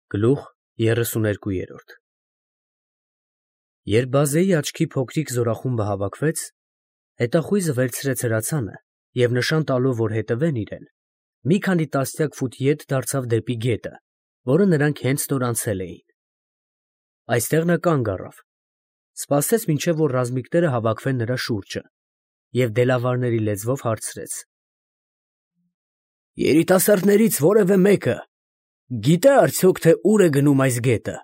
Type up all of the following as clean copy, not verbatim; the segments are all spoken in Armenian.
Գլուխ 32 Երբ բազեի աչքի փոքրիկ զորախումբը հավաքվեց, հետախույզը վերցրեց հրացանը և նշան տալով, որ հետևեն իրեն, մի քանի տասնյակ ֆուտ ետ դարձավ դեպի գետը, որը նրանք հենց նոր անցել էին. այստեղ նա կանգ առավ, սպասեց, մինչև որ ռազմիկները հավաքվեն նրա շուրջը, և դելավարների լեզվով հարցրեց. «Երիտասարդներից որևէ մեկը գիտե՞ արդյոք, թե ուր է գնում այս գետը»։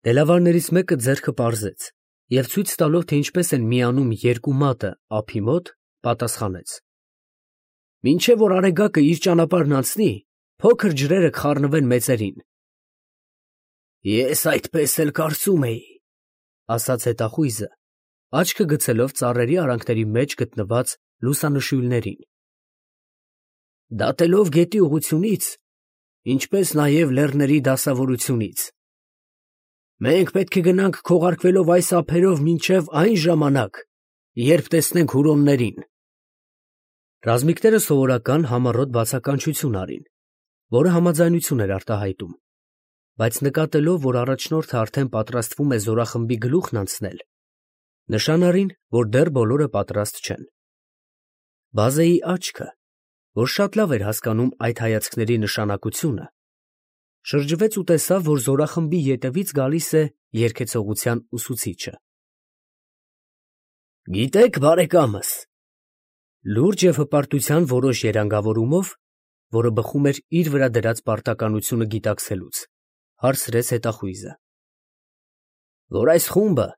Դելավարներից մեկը ձեռքը պարզեց և ցույց տալով, թե ինչպես են միանում երկու մատը ափի մոտ, պատասխանեց. «Մինչև որ արեգակը իր ճանապարհն անցնի, փոքր ջրերը կխառնվեն մեծերին»։ «Ես այդպես էլ կարծում էի», ֊ ասաց հետախույզը, աչքը գցելով ծառերի արանքների մեջ գտնված լուսանշույլներին։ «Դատելով գետի ուղղությունից, ինչպես նաև լեռների դասավորությունից, մենք պետք է գնանք քողարկվելով այս ափերով մինչև այն ժամանակ, երբ տեսնենք հուրոններին»։ Ռազմիկները սովորական համառոտ բացականչություն արին, որը համաձայնություն էր արտահայտում, բայց նկատելով, որ առաջնորդը արդեն պատրաստվում է զորախմբի գլուխն անցնել, նշան արին, որ դեռ բոլորը պատրաստ չեն։ Բազեի աչքը, որ շատ լավ էր հասկանում այդ հայացքների նշանակությունը, շրջվեց ու տեսավ, որ զորախմբի ետևից գալիս է երգեցողության ուսուցիչը։ «Գիտեք, բարեկամս», լուրջ և հպարտության որոշ երանգավորումով, որը բխում էր իր վրա դրած պարտականությունը գիտակցելուց, հարցրեց հետախույզը, «որ այս խումբը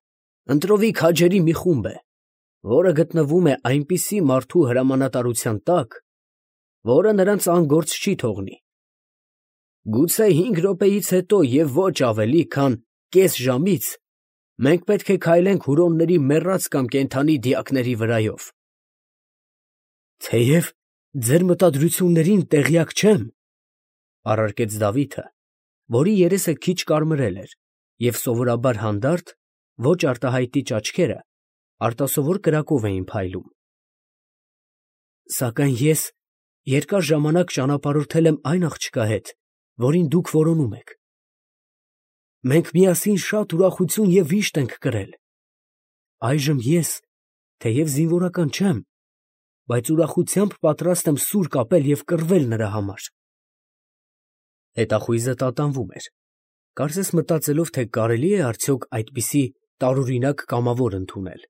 ընտրովի քաջերի մի խումբ է, որը գտնվում է այնպիսի մարդու հրամանատարության տակ, որը նրանց անգործ չի թողնի։ Գուցե 5 րոպեից հետո և ոչ ավելի, քան կես ժամից մենք պետք է քայլենք հուրոնների մեռած կամ կենդանի դիակների վրայով։ Թեև ձեր մտադրություններին տեղյակ չեմ, ֊ առարկեց Դավիթը, որի երեսը քիչ կարմրել էր, և սովորաբար հանդարտ, ոչ արտահայտիչ աչքերը արտասովոր կրակով էին փայլում, ֊ սակայն ես երկար ժամանակ ճանապարհորդել եմ այն աղջկա հետ, որին դուք որոնում եք։ Մենք միասին շատ ուրախություն և վիշտ ենք կրել։ Այժմ ես, թեև զինվորական չեմ, բայց ուրախությամբ պատրաստ եմ սուր կապել և կռվել նրա համար»։ Հետախույզը տատանվում էր, կարծես մտածելով, թե կարելի է արդյոք այդպիսի տարօրինակ կամավոր ընդունել։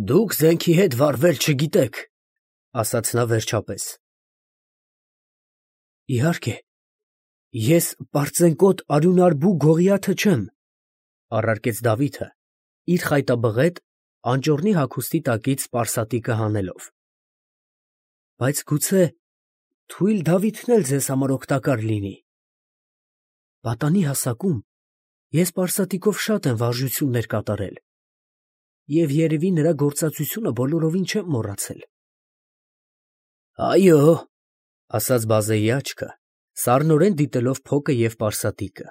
«Դուք զենքի հետ վարվել չգիտեք, ֊ ասաց նա վերջապես։ ֊ Իհարկե, ես պարծենկոտ արյունարբու Գողիաթը չեմ, ֊ առարկեց Դավիթը, իր խայտաբղետ, անճոռնի հագուստի տակից պարսատիկը հանելով։ ֊ Բայց գուցե թույլ Դավիթն էլ ձեզ համար օգտակար լինի։ Պատանի հասակում ես պարսատիկով շատ եմ վարժություններ կատարել և երևի նրա գործածությունը բոլորովին չեմ մոռացել։ ֊ Այո, ֊ ասաց բազեի աչքը, սառնորեն դիտելով փոկը և պարսատիկը,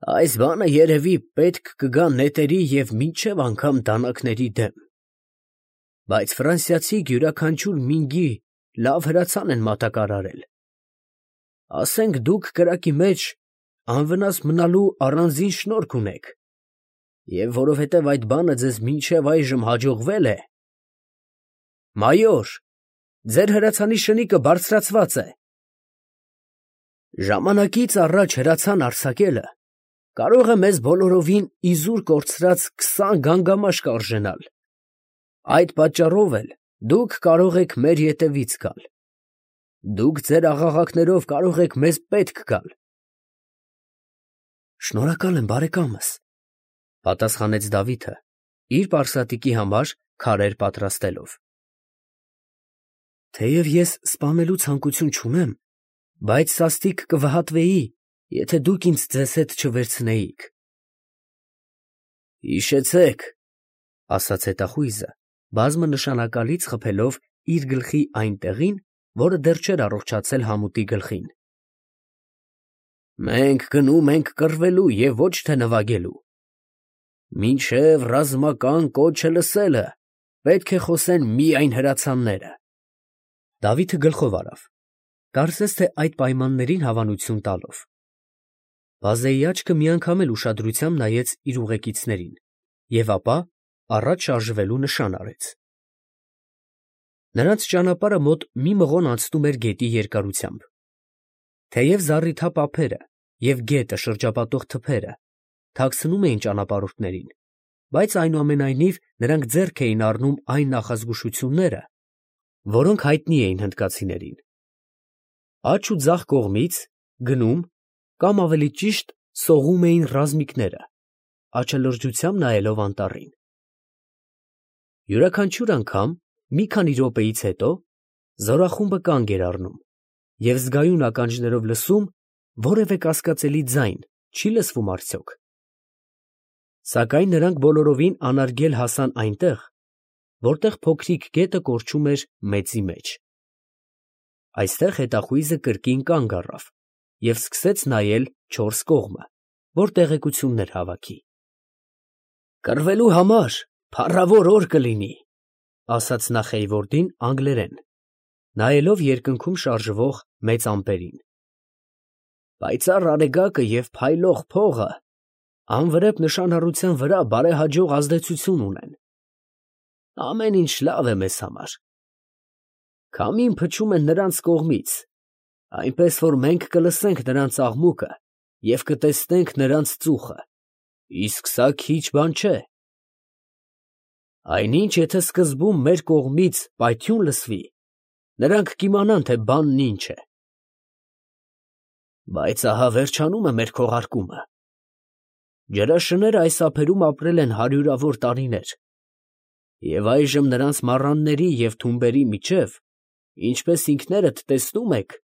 ֊ այս բանը երևի պետք կգա նետերի և մինչև անգամ դանակների դեմ, բայց ֆրանսիացիք յուրաքանչյուր մինգի լավ հրացան են մատակարարել։ Ասենք դուք կրակի մեջ անվնաս մնալու առանձին շնորք ունեք, և որովհետև այդ բանը ձեզ մինչև այժմ հաջողվել է… Մայոր, ձեր հրացանի շնիկը բարձրացված է։ Ժամանակից առաջ հրացան արձակելը կարող է մեզ բոլորովին իզուր կորցրած 20 գանգամաշ կարժենալ, այդ պատճառով էլ դուք կարող եք մեր ետևից գալ։ Դուք ձեր աղաղակներով կարող եք մեզ պետք գալ։ Շնորհակալ եմ, բարեկամս, ֊ պատասխանեց Դավիթը, իր պարսատիկի համար քարեր պատրաստելով։ Թեև ես սպանելու ցանկություն չունեմ, բայց սաստիկ կվհատվեի, եթե դուք ինձ ձեզ հետ չվերցնեիք։ Հիշեցեք, ֊ ասաց հետախույզը, բազմանշանակալից խփելով իր գլխի այն տեղին, որը դեռ չէր առողջացել համուտի գլխին. մենք գնում ենք կռվելու և ոչ թե նվագելու։ Մինչև ռազմական կոչը լսելը պետք է խոսեն միայն հրացանները։ Դավիթը գլխով արավ, կարծես թե այդ պայմաններին հավանություն տալով։ Բազեի աչքը մի անգամ էլ ուշադրությամբ նայեց իր ուղեկիցներին և ապա առաջ շարժվելու նշան արեց։ Նրանց ճանապարհը մոտ մի մղոն անցնում էր գետի երկարությամբ։ Թեև զառիթափ ափերը և գետը շրջապատող թփերը թաքցնում էին ճանապարհորդներին, բայց այնուամենայնիվ նրանք ձեռք էին առնում այն նախազգուշությունները, որոնք հայտնի էին հնդկացիներին։ Աջ ու ձախ կողմից գնում կամ ավելի ճիշտ սողում էին ռազմիկները, աչալրջությամբ նայելով անտառին։ Յուրաքանչյուր անգամ մի քանի րոպեից հետո զորախումբը կանգ էր առնում և զգայուն ականջներով լսում որևէ կասկածելի ձայն չի լսվում արդյոք։ Սակայն նրանք բոլորովին անարգել հասան այնտեղ, որտեղ փոքրիկ գետը կորչում էր մեծի մեջ։ Այստեղ հետախույզը կրկին կանգ առավ և սկսեց նայել չորս կողմը, որ տեղեկություններ հավաքի։ «Կռվելու համար փառավոր օր կլինի», ֊ ասաց նա Խեյվորդին անգլերեն, նայելով երկնքում շարժվող մեծ ամպերին։ «Պայծառ արեգակը և փայլող փողը անվրեպ նշանառության վրա բարեհաջող ազդեցություն ունեն։ Ամեն ինչ լավ է մեզ համար։ Քամին փչում է նրանց կողմից, այնպես որ մենք կլսենք նրանց աղմուկը և կտեսնենք նրանց ծուխը, իսկ սա քիչ բան չէ։ Այնինչ, եթե սկզբում մեր կողմից պայթյուն լսվի, նրանք կիմանան, թե բանն ինչ է։ Բայց ահա վերջանում է մեր քողարկումը։ Ջրաշները այս ափերում ապրել են հարյուրավոր տարիներ, և այժմ նրանց մառանների և թումբերի միջև, ինչպես ինքներդ տեսնում եք,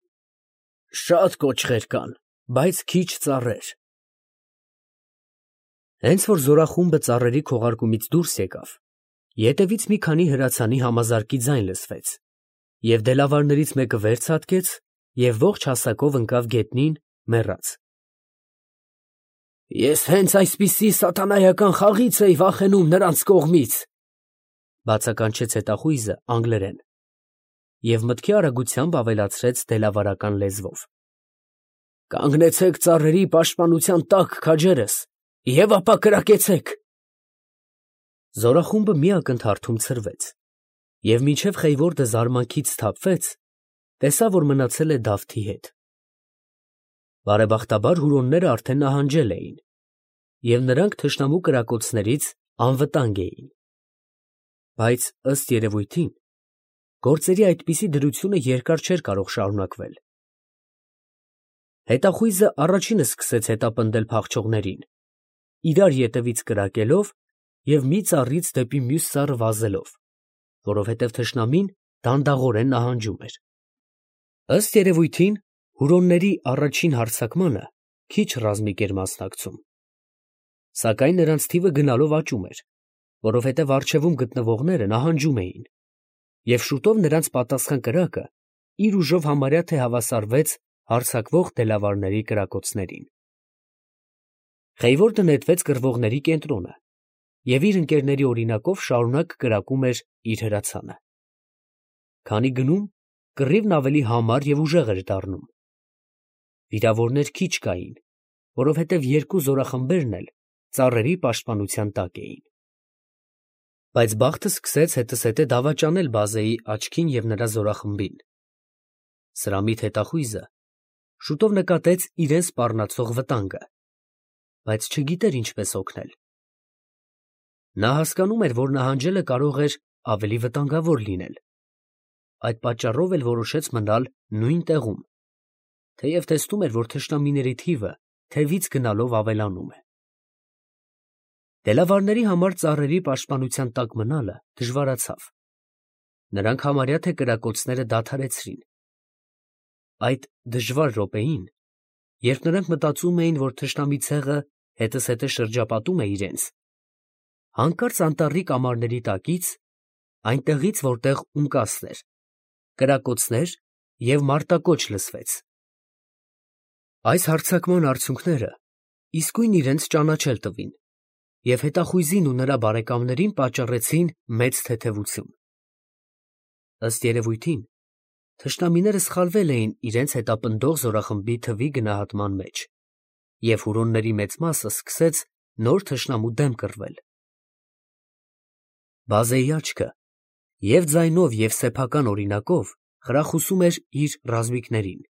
շատ կոճղեր կան, բայց քիչ ծառեր։ Հենց որ զորախումբը ծառերի քողարկումից դուրս եկավ, ետևից մի քանի հրացանի համազարկի ձայն լսվեց, և դելավարներից մեկը վեր ցատկեց և ողջ հասակով ընկավ գետնին, մեռած։ Ես հենց այսպիսի սատանայական խաղից էի վախենում նրանց կողմից, ֊ բացականչեց հետախույզը անգլերեն և մտքի արագությամբ ավելացրեց դելավարական լեզվով. Կանգնեցեք ծառերի պաշտպանության տակ քաջերս և ապա կրակեցեք։ Զորախումբը մի ակնթարթում ցրվեց, և մինչև Խեյվորդը զարմանքից սթափվեց, տեսավ, որ մնացել է Դավթի հետ։ Բարեբախտաբար հուրոնները արդեն նահանջել էին, և նրանք թշնամու կրակոցներից անվտանգ էին։ Բայց, ըստ երևույթին, գործերի այդպիսի դրությունը երկար չէր կարող շարունակվել։ Հետախույզը առաջինը սկսեց հետապնդել փախչողներին, իրար ետևից կրակելով և մի ծառից դեպի մյուս ծառը վազելով, որովհետև թշնամին դանդաղորեն նահանջում էր։ Ըստ երևույթին, հուրոնների առաջին հարձակմանը քիչ ռազմիկ էր մասնակցում, սակայն նրանց թիվը գնալով աճում էր, որովհետև առջևում գտնվողները նահանջում էին, և շուտով նրանց պատասխան կրակը իր ուժով համարյա թե հավասարվեց հարձակվող դելավարների կրակոցներին։ Խեյվորդը նետվեց կռվողների կենտրոնը և իր ընկերների օրինակով շարունակ կրակում էր իր հրացանը։ Քանի գնում, կռիվն ավելի համար և ուժեղ էր դառնում։ Վիրավորներ քիչ կային, որովհետև երկու զորախմբերն էլ ծառերի պաշտպանության տակ էին։ Բայց բախտը սկսեց հետզհետե դավաճանել բազեի աչքին և նրա զորախմբին։ Սրամիտ հետախույզը շուտով նկատեց իրան սպառնացող վտանգը, բայց չգիտեր ինչպես օգնել։ Նա հասկանում էր, որ նահանջելը կարող էր ավելի վտանգավոր լինել։ Այդ պատճառով էլ որոշեց մնալ նույն տեղում, թեև տեսնում էր, որ թշնամիների թիվը թևից գնալով ավելանում է։ Դելավարների համար ծառերի պաշտպանության տակ մնալը դժվարացավ։ Նրանք համարյա թե կրակոցները դադարեցրին։ Այդ դժվար րոպեին, երբ նրանք մտածում էին, որ թշնամի ցեղը հետզհետե շրջապատում է իրենց, հանկարծ անտառի կամարների տակից, այնտեղից, որտեղ ունկասն էր, կրակոցներ և մարտակոչ լսվեց։ Այս հարձակման արդյունքները իսկույն իրենց ճանաչել տվին և հետախույզին ու նրա բարեկամներին պատճառեցին մեծ թեթևություն։ Ըստ երևույթին, Թշնամիները սխալվել էին իրենց հետապնդող զորախմբի թվի գնահատման մեջ, և հուրոնների մեծ մասը սկսեց նոր թշնամու դեմ կռվել։ Բազեի աչքը և ձայնով և սեփական օրինակով խրախուսում էր իր ռազմիկներին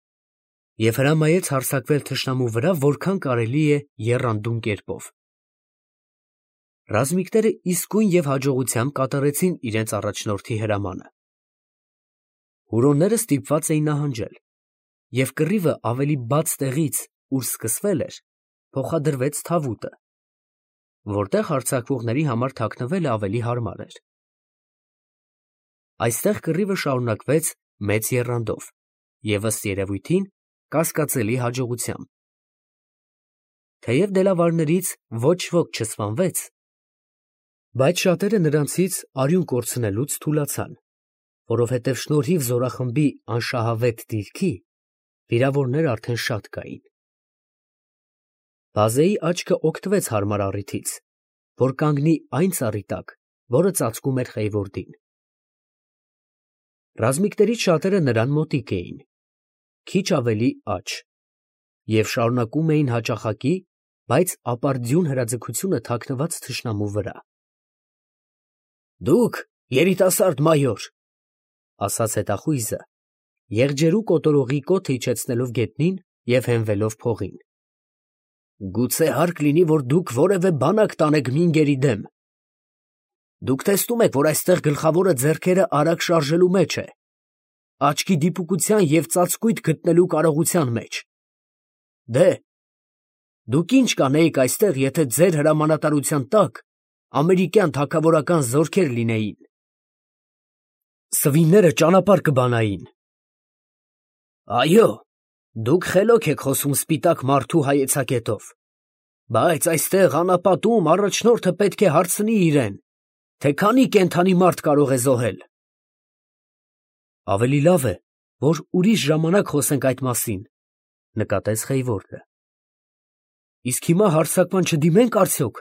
և հրամայեց հարձակվել թշնամու վրա որքան կարելի է եռանդուն կերպով։ Ռազմիկները իսկույն և հաջողությամբ կատարեցին իրենց առաջնորդի հրամանը։ Հուրոնները ստիպված էին նահանջել, և կռիվը ավելի բաց տեղից, ուր սկսվել էր, փոխադրվեց Թավուտը, որտեղ հարձակվողների համար թաքնվելը ավելի հարմար էր։ Այստեղ կռիվը շարունակվեց մեծ եռանդով և ըստ երևույթին կասկածելի հաջողությամբ։ Թեև դելավարներից ոչ ոք չսպանվեց, բայց շատերը նրանցից արյուն կորցնելուց թուլացան, որովհետև շնորհիվ զորախմբի անշահավետ դիրքի վիրավորներ արդեն շատ կային։ Բազեի աչքը օգտվեց հարմար առիթից, որ կանգնի այն ծառի տակ, որը ծածկում էր Խեյվորդին։ Ռազմիկներից շատերը նրան մոտիկ էին, քիչ ավելի աջ, և շարունակում էին հաճախակի, բայց ապարդյուն հրաձգությունը թաքնված թշնամու վրա։ «Դուք, երիտասարդ մայոր, ֊ ասաց հետախույզը, եղջերու կոտորողի կոթը իջեցնելով գետնին և հենվելով փողին, ֊ գուցե հարկ լինի, որ դուք որևէ բանակ տանեք մինգերի դեմ։ Դուք տեսնում եք, որ այստեղ գլխավորը ձեռքերը արագ շարժելու մեջ է, աչքի դիպուկության և ծածկույթ գտնելու կարողության մեջ։ Դե, դուք ի՞նչ կանեիք այստեղ, եթե ձեր հրամանատարության տակ ամերիկյան թագավորական զորքեր լինեին։ Սվինները ճանապարհ կբանային։ Այո, դուք խելոք եք խոսում սպիտակ մարդու հայեցակետով, բայց այստեղ անապատում առաջնորդը պետք է հարցնի իրեն, թե քանի կենդանի մարդ կարող է զոհել։ Ավելի լավ է, որ ուրիշ ժամանակ խոսենք այդ մասին, ֊ նկատեց Խեյվորդը։ Իսկ հիմա հարձակման չդիմե՞նք արդյոք։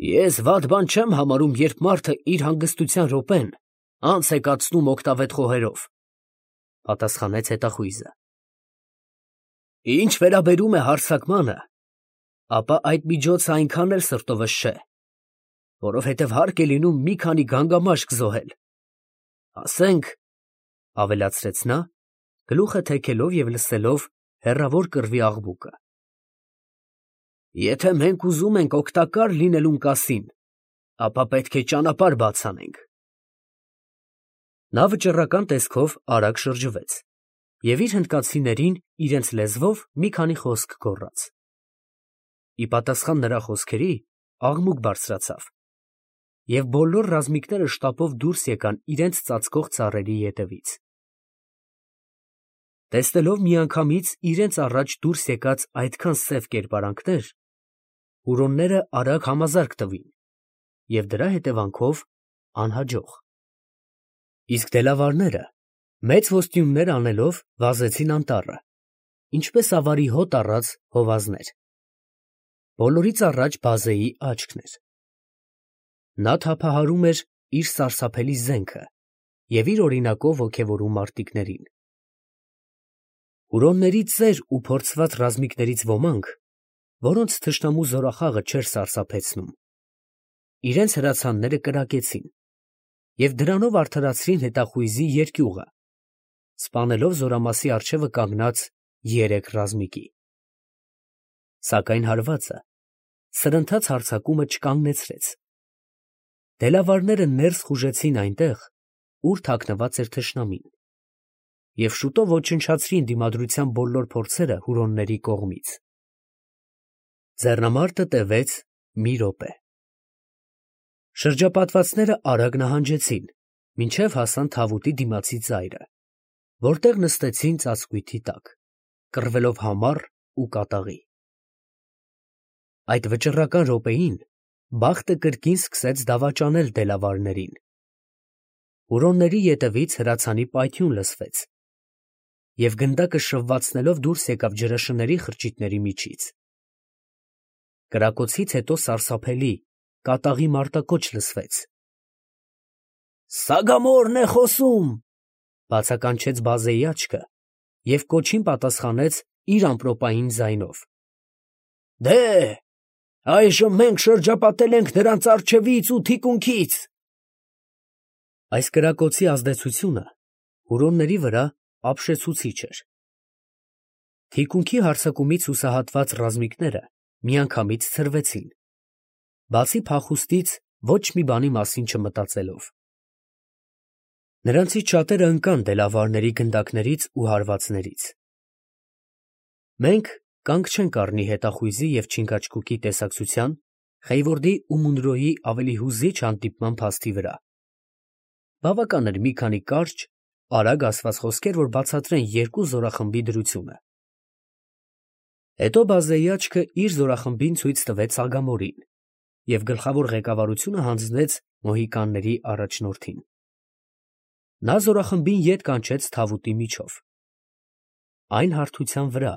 Ես վատ բան չեմ համարում, երբ մարդը իր հանգստության րոպեն անց է կացնում օգտավետ խոհերով, ֊ պատասխանեց հետախույզը։ Ինչ վերաբերում է հարձակմանը, ապա այդ միջոցը այնքան էլ սրտովս չէ, որովհետև հարկ է լինում մի քանի գանգամաշկ զոհել, ասենք, ֊ ավելացրեց նա, գլուխը թեքելով և լսելով հեռավոր կռվի աղմուկը, եթե մենք ուզում ենք օգտակար լինելուն կասին, ապա պետք է ճանապարհ բաց անենք։ Նա վճռական տեսքով արագ շրջվեց և իր հնդկացիներին իրենց լեզվով մի քանի խոսք գոռաց։ Ի պատասխան նրա խոսքերի աղմուկ բարձրացավ, և բոլոր ռազմիկները շտապով դուրս եկան իրենց ծածկող ծառերի ետևից։ Տեսնելով միանգամից իրենց առաջ դուրս եկած այդքան սև կերպարանքներ, հուրոնները արագ համազարկ տվին և դրա հետևանքով անհաջող։ Իսկ դելավարները, մեծ ոստիումներ անելով, վազեցին անտառը, ինչպես ավարի հոտ առած հովազներ։ Բոլորից առաջ Բազեի աչքն էր։ Նա թափահարում էր իր սարսափելի զենքը և իր օրինակով ոգևորում մարտիկներին։ Հուրոնների ծեր ու փորձված ռազմիկներից ոմանք, որոնց թշնամու զորախաղը չէր սարսափեցնում, իրենց հրացանները կրակեցին և դրանով արդարացրին հետախույզի երկյուղը, սպանելով զորամասի առջևը կանգնած երեք ռազմիկի։ Սակայն հարվածը սրընթաց հարձակումը չկանգնեցրեց։ Դելավարները ներս խուժեցին այնտեղ, ուր թաքնված էր թշնամին, և շուտով ոչնչացրին դիմադրության բոլոր փորձերը հուրոնների կողմից։ Ձեռնամարտը տևեց մի րոպե։ Շրջապատվածները արագ նահանջեցին, մինչև հասան Թավուտի դիմացի ծայրը, որտեղ նստեցին ծածկույթի տակ, կռվելով համառ ու կատաղի։ Այդ վճռական րոպեին բախտը կրկին սկսեց դավաճանել դելավարներին։ Հուրոնների ետևից հրացանի պայթյուն լսվեց, և գնդակը շվվացնելով դուրս եկավ ջրաշների խրճիթների միջից։ Կրակոցից հետո սարսափելի, կատաղի մարտակոչ լսվեց. «Սագամորն է խոսում»։ Բացականչեց բազեի աչքը և կոչին պատասխանեց իր ամպրոպային ձայնով. «Դե, այժմ մենք շրջապատել ենք նրանց առջևից ու թիկունքից»։ Այս կրակոցի ազդեցությունը հուրոնների վրա ապշեցուցիչ էր։ Թիկունքի հարձակումից հուսահատված ռազմիկները միանգամից ցրվեցին, բացի փախուստից ոչ մի բանի մասին չմտածելով։ Նրանցից շատերը ընկան դելավարների գնդակներից ու հարվածներից։ Մենք կանգ չենք առնի հետախույզի և չինգաչգուկի տեսակցության Խեյվորդի ու Մունրոյի ավելի հուզիչ հանդիպման փաստի վրա։ Բավական էր մի քանի կարճ, արագ ասված խոսքեր, որ բացատրեն երկու զորախմբի դրությունը։ Հետո բազեի աչքը իր զորախմբին ցույց տվեց Սագամորին և գլխավոր ղեկավարությունը հանձնեց մոհիկանների առաջնորդին։ Նա զորախմբին ետ կանչեց Թավուտի միջով։ Այն հարթության վրա,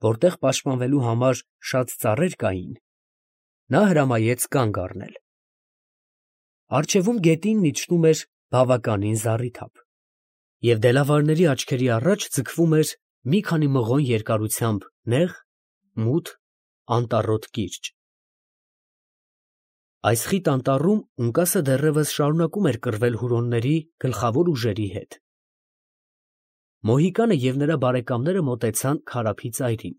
որտեղ պաշտպանվելու համար շատ ծառեր կային, նա հրամայեց կանգ առնել։ Առջևում գետինն իջնում էր բավականին զառիթափ, և դելավարների աչքերի առաջ ձգվում էր մի քանի մղոն երկարությամբ նեղ, մութ, անտառոտ կիրճ։ Այս խիտ անտառում Ունկասը դեռևս շարունակում էր կռվել հուրոնների գլխավոր ուժերի հետ։ Մոհիկանը և նրա բարեկամները մոտեցան քարափի ծայրին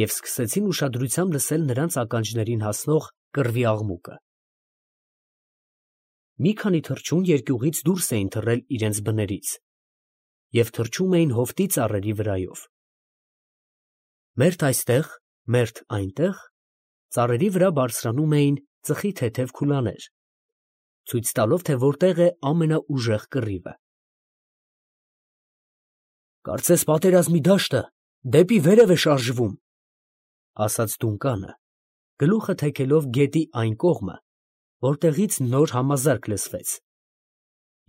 և սկսեցին ուշադրությամբ լսել նրանց ականջներին հասնող կռվի աղմուկը։ Մի քանի թռչուն երկյուղից դուրս էին թռել իրենց բներից և թռչում էին հովտի ծառերի վրայով։ Մերթ այստեղ, մերթ այնտեղ ծառերի վրա բարձրանում էին ծխի թեթև քուլաներ, ցույց տալով, թե որտեղ է ամենաուժեղ կռիվը։ «Կարծես պատերազմի դաշտը դեպի վերև է շարժվում», ֊ ասաց Դունկանը, գլուխը թեքելով գետի այն կողմը, որտեղից նոր համազարկ լսվեց։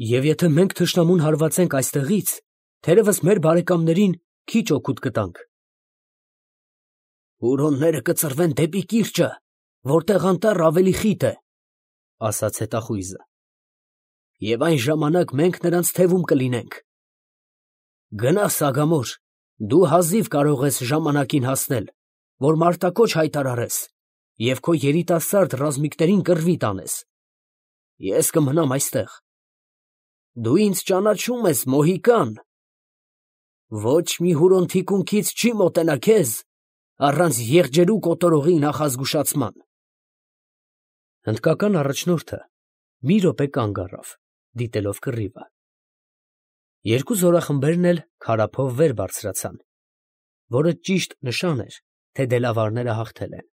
«Եվ եթե մենք թշնամուն հարվածենք այստեղից, թերևս մեր բարեկամներին քիչ օգուտ կտանք»։ «Հուրոնները կծռվեն դեպի կիրճը, որտեղ անտառը ավելի խիտ է», ֊ ասաց հետախույզը, «և այն ժամանակ մենք նրանց թևում կլինենք։ Գնա, Սագամոր, դու հազիվ կարող ես ժամանակին հասնել, որ մարտակոչ հայտարարես և քո երիտասարդ ռազմիկներին կռվի տանես։ Ես կմնամ այստեղ։ Դու ինձ ճանաչում ես, Մոհիկան։ Ոչ մի հուրոն թիկունքից չի մոտենա քեզ առանց եղջերու կոտորողի նախազգուշացման»։ Հնդկական առաջնորդը մի րոպե կանգ առավ, դիտելով կռիվը։ Երկու զորախմբերն էլ քարափով վեր բարձրացան, որը ճիշտ նշան էր, թե դելավարները հաղթել են։